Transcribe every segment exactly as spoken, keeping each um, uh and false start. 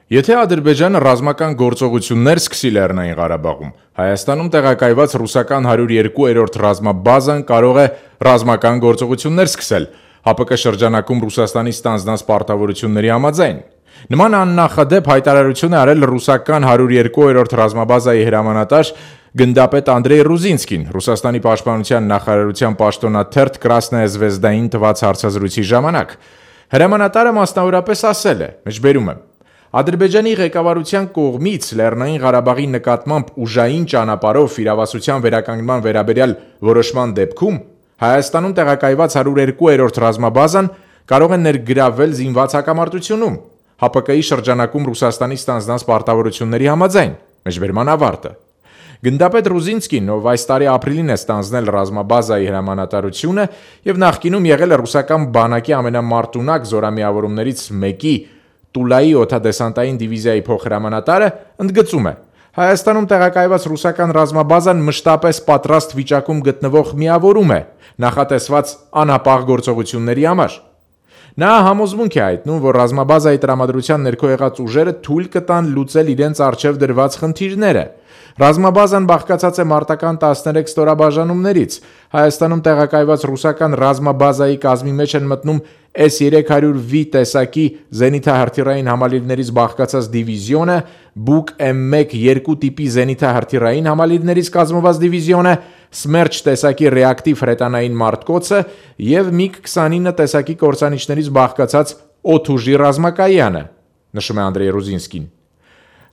Եթե Ադրբեջանը ռազմական գործողություններ սկսի Լեռնային Ղարաբաղում, Հայաստանում տեղակայված ռուսական հարյուր երկու-րդ ռազմաբազան կարող է ռազմական գործողություններ սկսել ՀԱՊԿ շրջանակում Ռուսաստանի ստանձնած պարտավորությունների համաձայն։ Նման աննախադեպ հայտարարություն է արել ռուսական հարյուր երկու-րդ ռազմաբազայի հրամանատար գնդապետ Անդրեյ Ռուզինսկին Ռուսաստանի պաշտպանության նախարարության պաշտոնաթերթ Կրասնայա Զվեզդային տված հարցազրույցի ժամանակ։ Հրամանատարը մասնավորապես ասել է. «Մեջբերում եմ. Ադրբեջանի ղեկավարության կողմից Լեռնային Ղարաբաղի նկատմամբ ուժային ճանապարհով իրավասության վերականգնման վերաբերյալ որոշման դեպքում Հայաստանում տեղակայված հարյուր երկու-րդ ռազմաբազան կարող է ներգրավվել զինված հակամարտությունում ՀԱՊԿ-ի շրջանակում Ռուսաստանի ստանձնած պարտավորությունների համաձայն»։ Մեջբերման ավարտը։ Գնդապետ Ռուզինսկին, ով այս տարի ապրիլին է ստանձնել ռազմաբազայի հրամանատարությունը եւ նախկինում եղել է ռուսական բանակի ամենամարտունակ զորամիավորումներից մեկի Տուլայի օդադեսանտային դիվիզիայի փոխհրամանատարը, ընդգծում է. Հայաստանում տեղակայված ռուսական ռազմաբազան մշտապես պատրաստ վիճակում գտնվող միավորում է նախատեսված անհապաղ գործողությունների համար։ Նա համոզմունք է հայտնում, որ ռազմաբազայի տրամադրության ներքո եղած ուժերը թույլ կտան լուծել իրենց առջև դրված խնդիրները։ Ռազմաբազան բաղկացած է մարտական տասներեք ստորաբաժանումներից։ Հայաստանում տեղակայված ռուսական ռազմաբազայի կազմի մեջ են մտնում էս երեք հարյուր վի տեսակի զենիթահրթիռային համալիրներից բաղկացած դիվիզիոնը, Բուկ էմ մեկ երկու տիպի զենիթահրթիռային համալիրներից կազմված դիվիզիոնը, Սմերչ տեսակի ռեակտիվ հրետանային մարտկոցը եւ միգ քսանինը տեսակի կործանիչներից բաղկացած օդուժի ռազմակայանը, նշում է Անդրեյ Ռուզինսկին։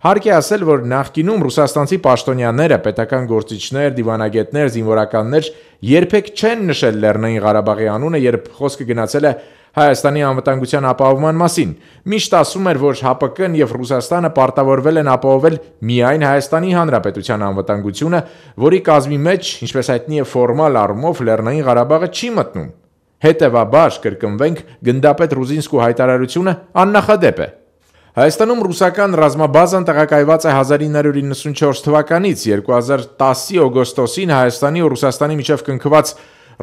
Հարկ է ասել, որ նախկինում ռուսաստանցի պաշտոնյաները, պետական գործիչներ, դիվանագետներ, զինվորականներ երբեք չեն նշել Լեռնային Ղարաբաղի անունը, երբ խոսքը գնացել է Հայաստանի անվտանգության ապահովման մասին։ Միշտ ասում էր, որ ՀԱՊԿ-ն եւ Ռուսաստանը պարտավորվել են ապահովել միայն Հայաստանի Հանրապետության անվտանգությունը, որի կազմի մեջ, ինչպես հայտնի է, ֆորմալ առումով Լեռնային Ղարաբաղը չի մտնում։ Հետևաբար, կրկնվենք, գնդապետ Ռուզինսկու հայտարարությունը աննախադեպ է։ Հայաստանում ռուսական ռազմաբազան տեղակայված է հազար ինը հարյուր իննսունչորս թվականից, երկու հազար տասի օգոստոսին Հայաստանի ու Ռուսաստանի միջև կնքված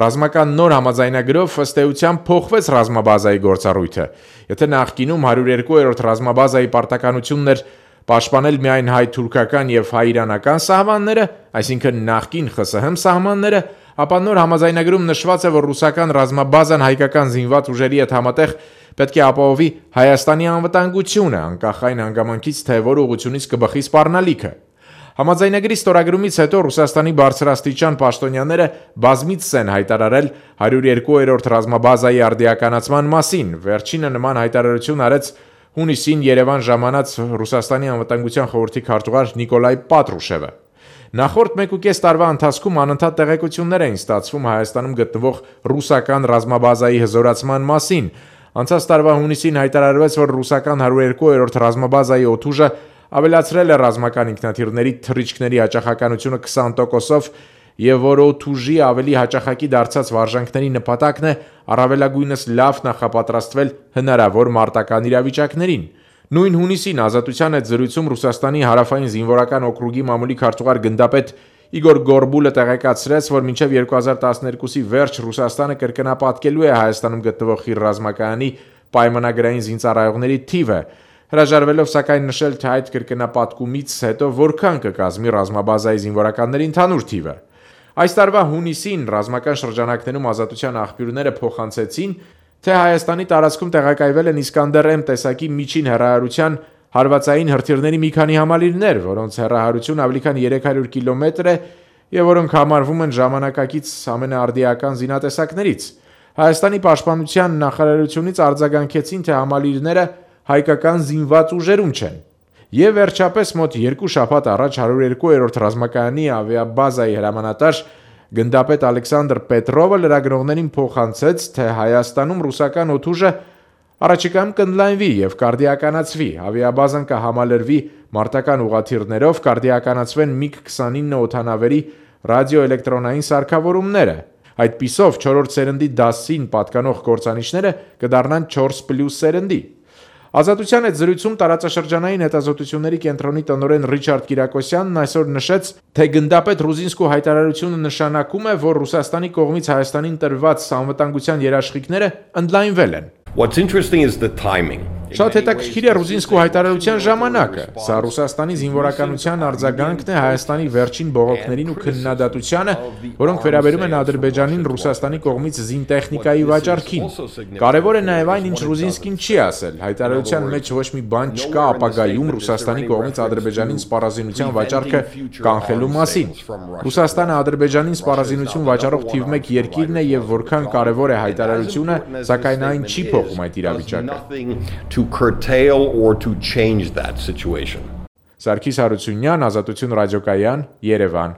ռազմական նոր համաձայնագրով ըստ էության փոխվեց ռազմաբազայի գործառույթը։ Եթե նախկինում հարյուր երկու-րդ ռազմաբազայի պարտականությունն էր պաշտպանել միայն հայ-թուրքական եւ հայ-իրանական սահմանները, այսինքն նախկին ԽՍՀՄ սահմանները, ապա նոր համաձայնագրում նշված է, որ ռուսական ռազմաբազան հայկական զինված ուժերի հետ համատեղ պետք է ապահովի Հայաստանի անվտանգությունը, անկախ այն հանգամանքից, թե որ ուղղությունից կբխի սպառնալիքը։ Համաձայնագրի ստորագրումից հետո Ռուսաստանի բարձրաստիճան պաշտոնյաները բազմիցս են հայտարարել հարյուր երկու-րդ ռազմաբազայի արդիականացման մասին։ Վերջինը նման հայտարարություն արեց հունիսին Երևան ժամանած Ռուսաստանի անվտանգության խորհրդի քարտուղար Նիկոլայ Պատրուշևը։ Նախորդ մեկ ու կես տարվա ընթացքում անընդհատ տեղեկություններ էին ստացվում Հայաստանում գտնվող ռուսական ռազմաբազայի հզորացման մասին։ Անցած տարվա հունիսին հայտարարվեց, որ ռուսական հարյուր երկու-րդ ռազմաբազայի օդուժը ավելացրել է ռազմական ինքնաթիռների թռիչքների հաճախականությունը քսան տոկոսով եւ որ օդուժի ավելի հաճախակի դարձած վարժանքների նպատակն է առավելագույնս լավ նախապատրաստվել հնարավոր մարտական իրավիճակներին։ Նույն հունիսին Ազատության հետ զրույցում Ռուսաստանի հարավային զինվորական օկրուգի մամուլի քարտուղար գնդապետ Իգոր Գորբուլը տեղեկացրեց, որ մինչև երկու հազար տասներկուսի վերջ Ռուսաստանը կրկնապատկելու է Հայաստանում գտնվող Խիր ռազմակայանի պայմանագրային զինծառայողների թիվը, հրաժարվելով սակայն նշել, թե այդ կրկնապատկումից հետո որքան կկազմի ռազմաբազայի զինվորականների ընդհանուր թիվը։ Այս տարվա հունիսին ռազմական շրջանակներում Ազատության աղբյուրները փոխանցեցին, թե Հայաստանի տարածքում տեղակայվել են Իսկանդեր M տեսակի միջին հեռահարության հարվածային հրթիռների մի քանի համալիրներ, որոնց հեռահարությունը ավելի քան երեք հարյուր կիլոմետր է եւ որոնք համարվում են ժամանակակից ամենաարդիական զինատեսակներից։ Հայաստանի պաշտպանության նախարարությունից արձագանքեցին, թե համալիրները հայկական զինված ուժերում չեն։ Եվ վերջապես մոտ երկու շաբաթ առաջ հարյուր երկու-րդ ռազմակայանի ավիաբազայի հրամանատար գնդապետ Ալեքսանդր Պետրովը լրագրողներին փոխանցեց, թե Հայաստանում ռուսական օդուժը առաջիկայում կընդլայնվի եւ կարդիականացվի, ավիաբազան կհամալրվի մարտական ուղաթիռներով, կարդիականացվեն միգ քսանինը օդանավերի ռադիոէլեկտրոնային սարքավորումները։ Այդպիսով չորրորդ սերնդի դասին պատկանող կործանիչները կդառնան չորս պլյուս սերնդի։ Ազատության հետ զրույցում տարածաշրջանային հետազոտությունների կենտրոնի տնօրեն Ռիչարդ Կիրակոսյանն այսօր նշեց, թե գնդապետ Ռուզինսկու հայտարարությունը նշանակում է, որ Ռուսաստանի կողմից Հայաստանին տրված անվտանգության երաշխիքները ընդլայնվել են։ What's interesting is the timing. Շատ հետաքրքիր է Ռուզինսկու հայտարարության ժամանակը։ Սա Ռուսաստանի զինվորականության արձագանքն է Հայաստանի վերջին բողոքներին ու քննադատությանը, որոնք վերաբերում են Ադրբեջանին Ռուսաստանի կողմից զինտեխնիկայի վաճառքին։ Կարևոր է նաև այն, ինչ Ռուզինսկին չի ասել։ Հայտարարության մեջ ոչ մի բան չկա ապագայում Ռուսաստանի կողմից Ադրբեջանին սպառազինության վաճառքը կանխելու մասին։ Ռուսաստանը Ադրբեջանին սպառազինություն վաճառող թիվ մեկ երկիրն է եւ որքան կարևոր է հայտարարությունը, սակայն այն չի փոխում այդ իրավիճակը։ To curtail or to change that situation. Սարգիս Հարությունյան, Ազատություն ռադիոկայան, Երևան։